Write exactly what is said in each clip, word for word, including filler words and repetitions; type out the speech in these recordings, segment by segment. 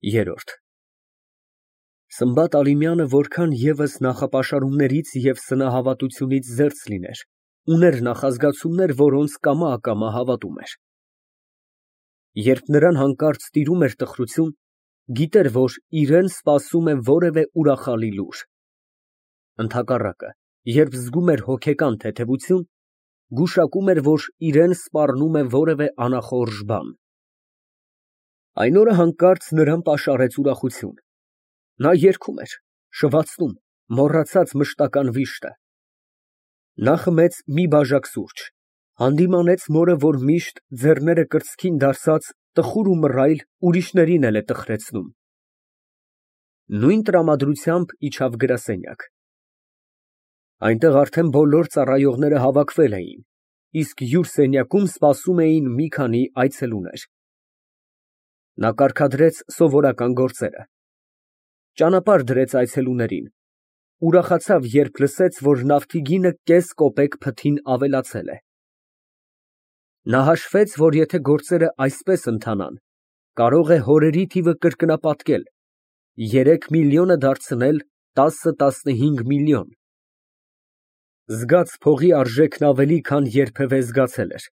Երրորդ Սմբատ Ալիմյանը որքան ևս նախապաշարումներից և սնահավատությունից զերծ լիներ, ուներ նախազգացումներ, որոնց կամա֊ակամա հավատում էր։ Երբ նրան հանկարծ տիրում էր տխրություն, գիտեր, որ իրան սպասում է որևէ ուրախալի լուր։ Ընդհակառակը, երբ զգում էր հոգեկան թեթևություն, գուշակում էր, որ իրան սպառնում է որևէ անախորժ բան։ Այն օրը հանկարծ նրան պաշարեց ուրախություն։ Նա երգում էր, շվացնում, մոռացած մշտական վիշտը։ Նա խմեց մի բաժակ սուրճ, հանդիմանեց մորը, որ միշտ, ձեռները կրծքին դարսած, տխուր ու մռայլ, ուրիշներին էլ է տխրեցնում։ Նույն տրամադրությամբ իջավ գրասենյակ։ Այնտեղ արդեն բոլոր ծառայողները հավաքվել էին, իսկ յուր սենյակում սպասում էին մի քանի այցելուներ։ Նա կարգադրեց սովորական գործերը, ճանապարհ դրեց այցելուներին, ուրախացավ, երբ լսեց, որ նավթի կես կոպեկ փթին ավելացել է։ Նա հաշվեց, որ եթե գործերը այսպես ընթանան, կարող է հորերի թիվը կրկնապատկել, երեք միլիոնը դարձնել տասը֊տասնհինգ միլիոն։ Զգաց փողի արժեքն ավելի, քան երբևէ զգացել էր,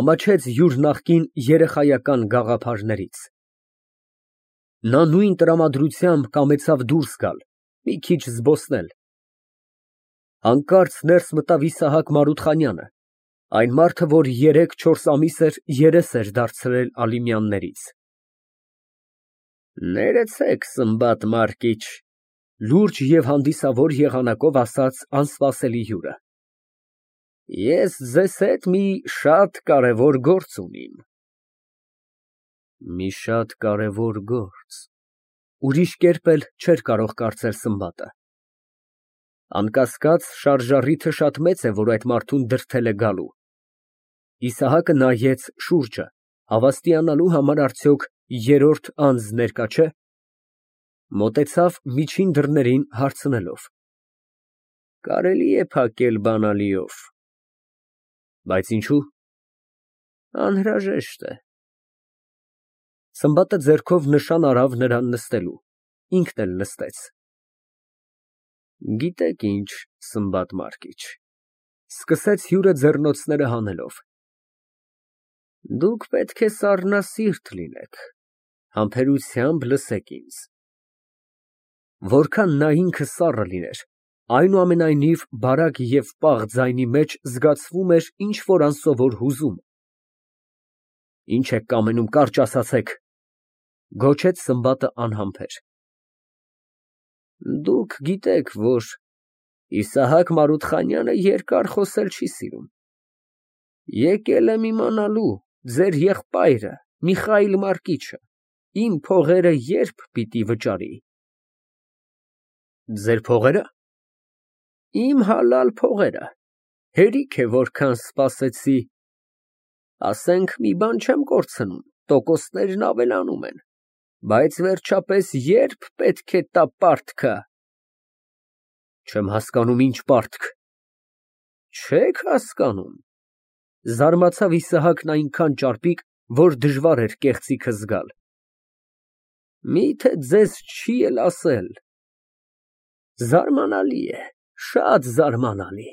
ամաչեց յուր նախկին երեխայական գաղափարներից։ Նա նույն տրամադրությամբ կամեցավ դուրս գալ, մի քիչ զբոսնել։ Հանկարծ ներս մտավ Իսահակ Մարութխանյանը, այն մարդը, որ երեք֊չորս ամիս էր երես էր դարձրել Ալիմյաններից։ Ներեցեք, Սմբատ Մարկիչ, լուրջ և հանդիսավոր եղանակով ասաց անսպասելի հյուրը։ Ես ձեզ հետ մի շատ կարևոր գործ ունիմ։ Մի շատ կարևոր գործ, ուրիշ կերպ էլ չէր կարող կարծել Սմբատը։ Անկասկած, շարժառիթը շատ մեծ է, որ այդ մարդուն դրդել է գալու։ Իսահակը նայեց շուրջը, հավաստիանալու համար արդյոք երրորդ անձ ներկա չէ։ Մոտեցավ միջին դռներին հարցնելով. Կարելի է փակել բանալիով։ Բայց ինչո՞ւ։ Անհրաժեշտ է։ Սմբատը ձեռքով նշան արավ նրան նստելու, ինքն էլ նստեց։ Գիտեք ինչ, Սմբատ Մարկիչ, սկսեց հյուրը ձեռնոցները հանելով, դուք պետք է սառնասիրտ լինեք, համբերությամբ լսեք ինձ։ Որքան նա ինքը սառը լիներ, այնուամենայնիվ բարակ և պաղ ձայնի մեջ զգացվում էր ինչ֊որ անսովոր հուզում։ Ինչ եք կամենում, կարճ ասացեք, գոչեց Սմբատը անհամբեր։ Դուք գիտեք, որ Իսահակ Մարութխանյանը երկար խոսել չի սիրում։ Եկել եմ իմանալու, ձեր եղբայրը Միխայիլ Մարկիչը իմ փողերը երբ պիտի վճարի։ Ձեր փողե՞րը։ Իմ հալալ փողերը, հերիք է որքան սպասեցի, ասենք մի բան չեմ կորցնում, տոկոսներն ավելանում են, բայց վերջապես ե՞րբ պետք է տա պարտքը։ Չեմ հասկանում, ինչ պարտք։ Չեք հասկանում։ Զարմացավ Իսահակն այնքան ճարպիկ, որ դժվար էր կեղծիքը զգալ։ Միթե ձեզ չի էլ ասել։ Զարմանալի է, շատ զարմանալի։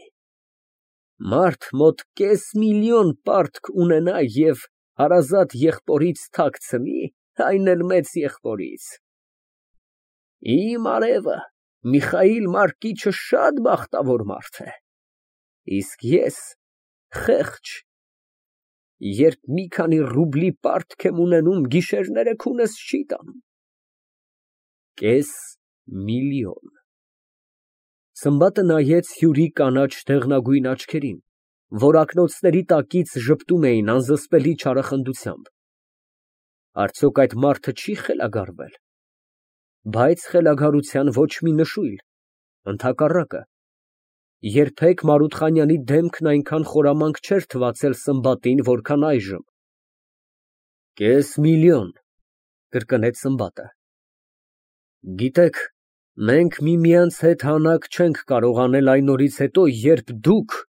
Մարդ մոտ կես միլիոն պարտք ունենա և հարազատ եղբորից թաքցնի, այն էլ մեծ եղբորից։ Իմ արևը Միխայիլ Մարկիչը շատ բախտավոր մարդ է, իսկ ես խեղճ, երբ մի քանի ռուբլի պարտք եմ ունենում, գիշերները քունս չի տանում։ Կես միլիոն։ Սմբատը նայեց հյուրի կանաչ դեղնագույն աչքերին, որ ակնոցների տակից ժպտում էին անզսպելի չարախնդությամբ։ Արդյոք այդ մարդը չի խելագարվել։ Բայց խելագարության ոչ մի նշույլ, ընդհակառակը, երբեք Մարութխանյանի դեմքն այնքան խորամանկ չէր թվացել Սմբատին, որքան այժմ։ Կես միլիոն, կրկնեց Սմբատը։ Գիտեք, մենք միմյանց հետ հանակ չենք կարող անել այն օրից հետո, երբ դուք…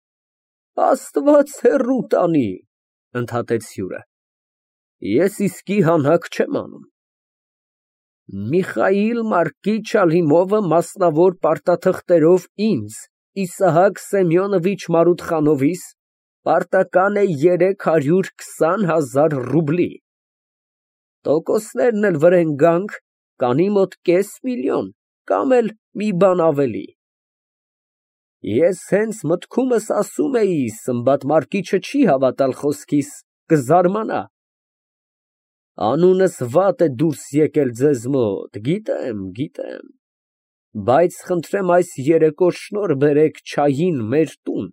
Աստված հեռու տանի, ընդհատեց հյուրը։ Ես իսկի հանակ չեմ անում։ Միխայիլ Մարկիչ Ալիմովը մասնավոր պարտաթղթերով ինձ, Իսահակ Սեմյոնովիչ Մարութխանովիս, պարտական է երեք հարյուր քսան հազար ռուբլի, տոկոսներն էլ վրեն գանք, կանի մոտ կես միլիոն, կամ էլ մի բան ավելի։ Ես հենց մտքումս ասում էի, Սմբատ Մարկիչը չի հավատալ խոսքիս, կզարմանա։ Անունս վատ է դուրս եկել ձեզ մոտ, գիտեմ, գիտեմ, բայց խնդրեմ այս երեկո շնորհ բերեք չային մեր տուն,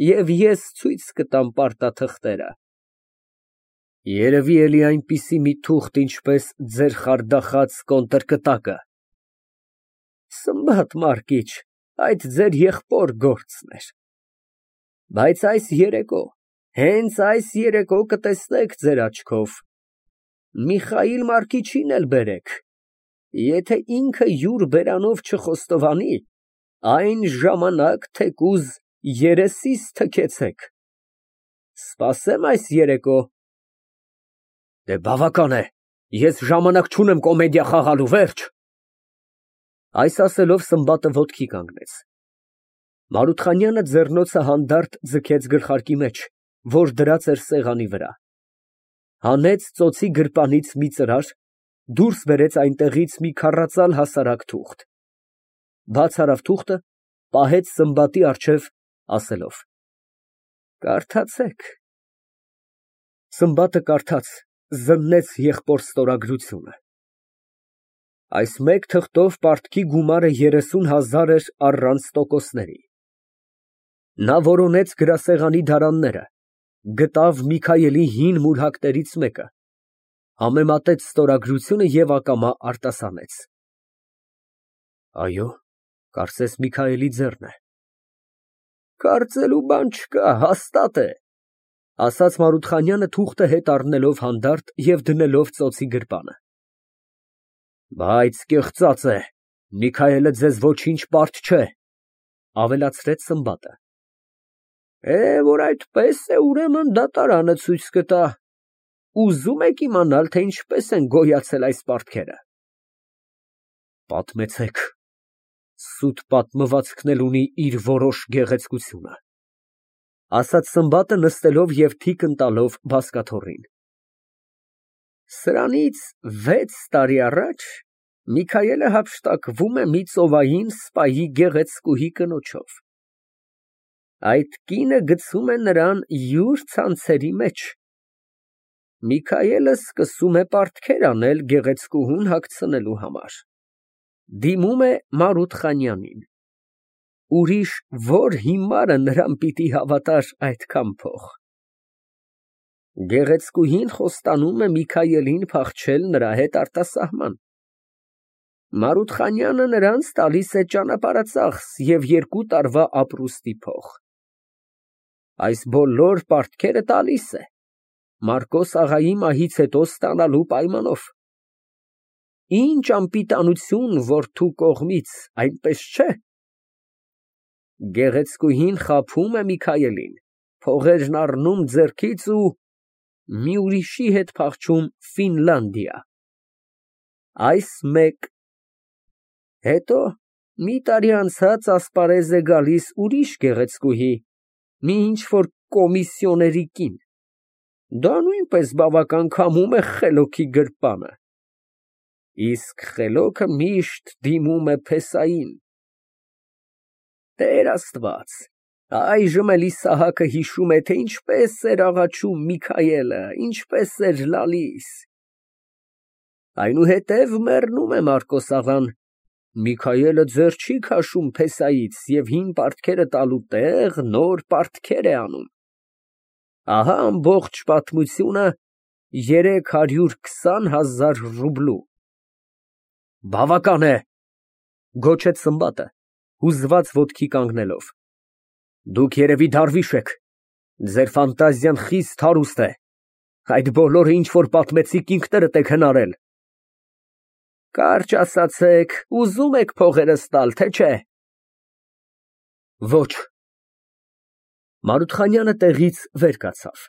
և ես ցույց կտամ պարտաթղթերը։ Երևի էլի այնպիսի մի թուղթ, ինչպես ձեր խարդախած կոնտրկտակը։ Սմբատ Մարկիչ, այդ ձեր եղբոր գործն էր։ Բայց այս երեկո, հենց այս երեկո կտեսնեք ձեր աչքով, Միխայիլ Մարկիչին էլ բերեք, եթե ինքը յուր բերանով չխոստովանի, այն ժամանակ թեկուզ երեսիս թքեցեք։ Սպասեմ այս երեկո։ Դե բավական է, ես ժամանակ չունեմ կոմեդիա խաղալու, վերջ։ Այս ասելով Սմբատը ոտքի կանգնեց։ Մարութխանյանը ձեռնոցը հանդարտ ձգեց գլխարկի մեջ, որ դրած էր սեղանի վրա, հանեց ծոցի գրպանից մի ծրար, դուրս բերեց այնտեղից մի քառածալ հասարակ թուղթ, բաց արավ թուղթը, պահեց Սմբատի առջև, ասելով. Կարդացեք։ Սմբատը կարդաց, զննեց եղբոր ստորագրությունը։ Այս մեկ թղթով պարտքի գումարը երեսուն հազար էր առանց տոկոսների։ Նա որոնեց գրասեղանի դարանները, գտավ Միքայելի հին մուրհակներից մեկը, համեմատեց ստորագրությունը և ակամա արտասանեց։ Այո, կարծես Միքայելի ձեռն է։ Կարծելու բան չկա, հաստատ է, ասաց Մարութխանյանը թուղթը հետ առնելով հանդարտ և դնելով ծոցի գրպանը։ Բայց կեղծած է, Միքայելը ձեզ ոչինչ պարտ չէ, ավելացրեց Սմբատը։ Է, որ այդպես է, ուրեմն դատարանը ցույց կտա։ Ուզում եք իմանալ, թե ինչպես են գոյացել այս պարտքերը։ Պատմեցեք, սուտ պատմվածքն էլ ունի իր որոշ գեղեցկությունը, ասաց Սմբատը նստելով և թիկն տալով բազկաթոռին։ Սրանից վեց տարի առաջ Միքայելը հափշտակվում է մի ծովային սպայի գեղեցկուհի կնոջով։ Այդ կինը գցում է նրան յուր ցանցերի մեջ։ Միքայելը սկսում է պարտքեր անել գեղեցկուհուն հագցնելու համար։ Դիմում է Մարութխանյանին։ Ուրիշ որ հիմարը նրան պիտի հավատար այդքան փող։ Գեղեցկուհին խոստանում է Միքայելին փախչել նրա հետ արտասահման։ Մարութխանյանը նրանց տալիս է ճանապարհածախս և երկու տարվա ապրուստի փող։ Այս բոլոր պարտքերը տալիս է, Մարկոս աղայի մահից հետո ստանալու պայմանով։ Ինչ անպիտանություն որդու կողմից, այնպես չէ։ Գեղեցկուհին խաբում է Միքայելին, փողերն առնում ձեռքից ու մի ուրիշի հետ փախչում Ֆինլանդիա։ Այս մեկ։ Հետո մի տարի անցած ասպարեզ է գալիս ուրիշ գեղեցկուհի, մի ինչ֊որ կոմիսիոների կին։ Դա նույնպես բավական քամում է խելոքի գրպանը։ Իսկ խելոքը միշտ դիմում է փեսային։ Տեր Աստված, այժմ էլ Իսահակը հիշում է, թե ինչպես էր աղաչում Միքայելը, ինչպես էր լալիս։ Այնուհետև մեռնում է Մարկոս աղան, Միքայելը ձեռ չի քաշում փեսայից և հին պարտքերը տալու տեղ նոր պարտքեր է անում։ Ահա ամբողջ պատմությունը երեք հարյուր քսան հազար ռուբլու։ Բավական է, գոչեց Սմբատը, հուզված ոտքի կանգնելով։ Դուք երևի դարվիշ եք, ձեր ֆանտազիան խիստ հարուստ է, այդ բոլորը ինչ որ պատմեցիք ինքներդ եք հնարել։ Կարճ ասացեք, ուզում եք փողերս տալ, թե չէ։ Ոչ։ Մարութխանյանը տեղից վեր կացավ,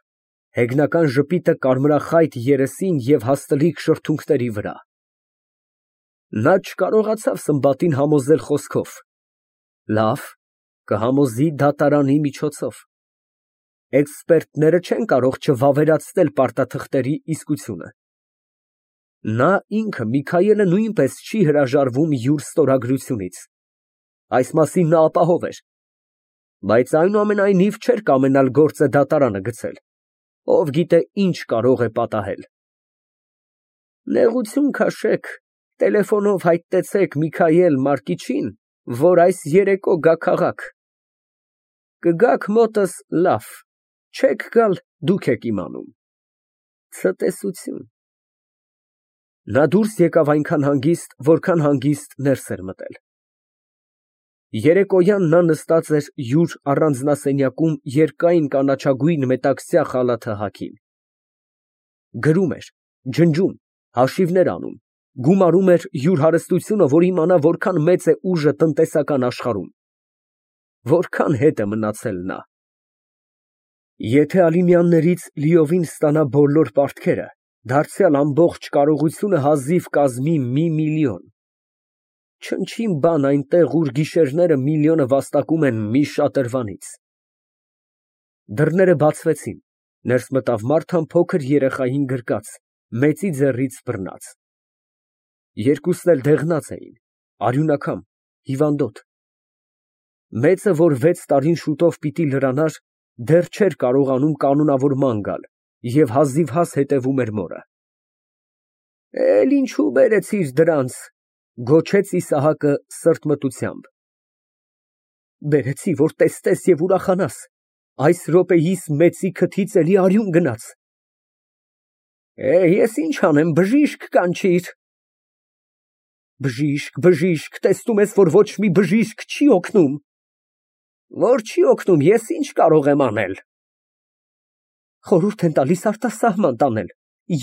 հեգնական ժպիտը կարմրախայտ երեսին և հաստլիկ շրթունքների վրա։ Նա չկարողացավ Սմբատին համոզել խոսքով։ Լավ, կհամոզի դատարանի միջոցով։ Էքսպերտները չեն կարող չվավերացնել պարտաթղթերի իսկությունը։ Նա ինքը Միքայելը նույնպես չի հրաժարվում յուր ստորագրությունից։ Այս մասին նա ապահով էր։ Բայց այնուամենայնիվ չէր կամենալ գործը դատարանը գցել։ Ով գիտե ինչ կարող է պատահել։ Նեղություն քաշեք, տելեֆոնով հայտնեցեք Միքայել Մարկիչին, որ այս երեկո գա քաղաք։ Կգաք մոտս, լավ, չեք գալ, դուք եք իմանում։ Ցտեսություն։ Նա դուրս եկավ այնքան հանգիստ, որքան հանգիստ ներս էր մտել։ Երեկոյան նա նստած էր յուր առանձնասենյակում երկայն կանաչագույն մետաքսյա խալաթը հագին։ Գրում էր, ջնջում, հաշիվներ անում, գումարում էր յուր հարստությունը, որ իմանա որքան մեծ է ուժը տնտեսական աշխարհում։ Որքան հետ է մնացել նա։ Եթե Ալիմյաններից լիովին ստանա բոլոր պարտքերը, դարձյալ ամբողջ կարողությունը հազիվ կազմի մի միլիոն։ Չնչին բան այնտեղ, ուր գիշերները միլիոնը վաստակում են մի շատրվանից։ Դռները բացվեցին, ներս մտավ Մարթան փոքր երեխային գրկած, մեծի ձեռից բռնած։ Երկուսն էլ դեղնած էին, արյունակամ, հիվանդոտ։ Մեծը, որ վեց տարին շուտով պիտի լրանար, դեռ չէր կարողանում կանոնավորման գալ և հազիվհազ հետևում էր մորը։ Էլ ինչու բերեցիր դրանց, գոչեց Իսահակը սրտմտությամբ։ Բերեցի, որ տեսնես և ուրախանաս, այս րոպեիս մեծի քթից էլի արյուն գնաց։ Է, ես ինչ անեմ, բժիշկ կանչիր։ Բժիշկ, բժիշկ, տեսնում ես, որ ոչ մի բժիշկ չի օգնում։ Որ չի օգնում, ես ինչ կարող եմ անել։ Խորհուրդ են տալիս արտասահման տանել,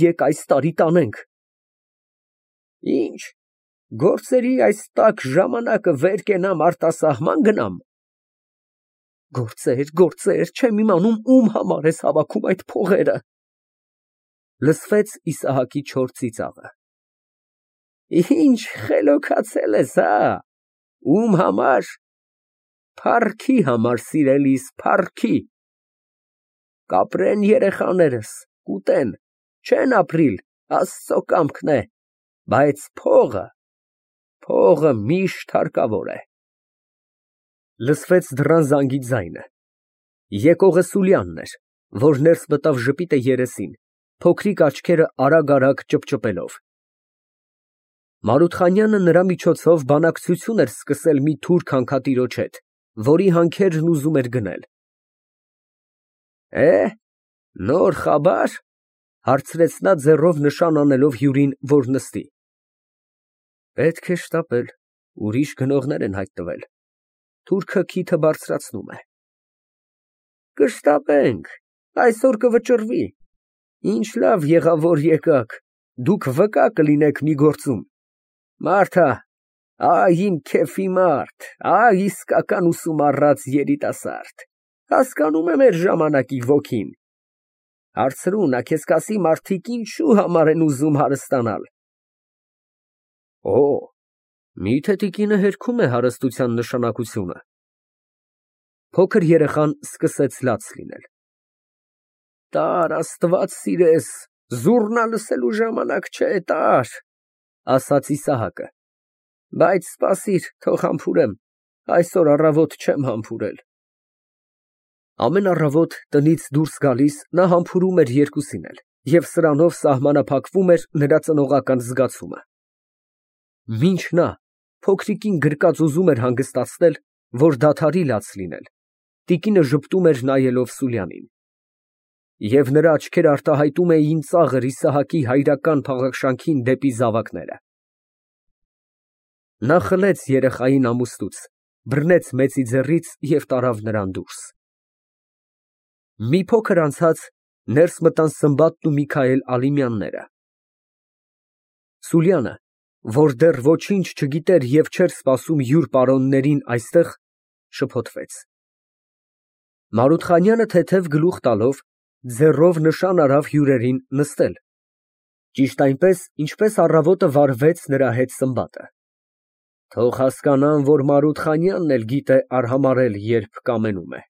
եկ այս տարի տանենք։ Ինչ, գործերի այս տաք ժամանակը վեր կենամ արտասահման գնամ։ Գործեր, գործեր, չեմ իմանում ում համար ես հավաքում այդ փողերը։ Լսվեց Իսահակի չոր ծիծաղը։ Ինչ խելոքացել ես, հա, ում համար։ Փառքի համար, սիրելիս, փառքի։ Կապրեն երեխաներս, կուտեն, չեն ապրիլ, Աստծո կամքն է, բայց փողը, փողը միշտ հարկավոր է։ Լսվեց դռան զանգի ձայնը։ Եկողը Սուլյանն էր, որ ներս մտավ ժպիտը երեսին, փոքրիկ աչքերը արագ֊արագ ճպճպելով։ Մարութխանյանը նրա միջոցով բանակցություն էր սկսել մի թուրք հանքատիրոջ հետ, որի հանքերն ուզում էր գնել։ Է, նոր խաբար, հարցրեց նա ձեռով նշան անելով հյուրին, որ նստի։ Պետք է շտապել, ուրիշ գնողներ են հայտնվել։ Թուրքը քիթը բարձրացնում է։ Կշտապենք, այսօր կվճռվի։ Ինչ լավ եղավ, որ եկաք, դուք վկա կլինեք մի գործում։ Մարթա, այ իմ քեֆի մարդ, այ իսկական ուսումառած երիտասարդ, հասկանում է մեր ժամանակի ոգին։ Հարցրու, նա քեզ կասի մարդիկ ինչու համար են ուզում հարստանալ։ Օ, միթե տիկինը հերքում է հարստության նշանակությունը։ Փոքր երեխան սկսեց լաց լինել։ Տար, Աստված սիրես, զուռնա լսելու ժամանակ չէ, տար, ասաց Իսահակը։ Բայց սպասիր, թող համբուրեմ, այսօր առավոտ չեմ համբուրել։ Ամեն առավոտ տնից դուրս գալիս նա համբուրում էր երկուսին էլ, և սրանով սահմանափակվում էր նրա ծնողական զգացումը։ Մինչ նա փոքրիկին գրկած ուզում էր հանգստացնել, որ դադարի լաց լինել, տիկինը ժպտում էր նայելով Սուլյանին։ Եվ նրա աչքերը արտահայտում էին ծաղր Իսահակի հայրական փաղաքշանքին դեպի զավակները։ Նա խլեց երեխային ամուստուց, բռնեց մեծի ձեռից և տարավ նրան դուրս։ Մի փոքր անցած ներս մտան Սմբատն ու Միքայել Ալիմյանները։ Սուլյանը, որ դեռ ոչինչ չգիտեր և չէր սպասում յուր պարոններին այստեղ, շփոթվեց։ Մարութխանյանը թեթև գլուխ տալով, ձեռով նշան արավ հյուրերին նստել։ Ճիշտ այնպես, ինչպես առավոտը վարվեց նրա հետ Սմբատը։ Թող հասկանան, որ Մարութ Խանյանն էլ գիտե արհամարհել, երբ կամենում է։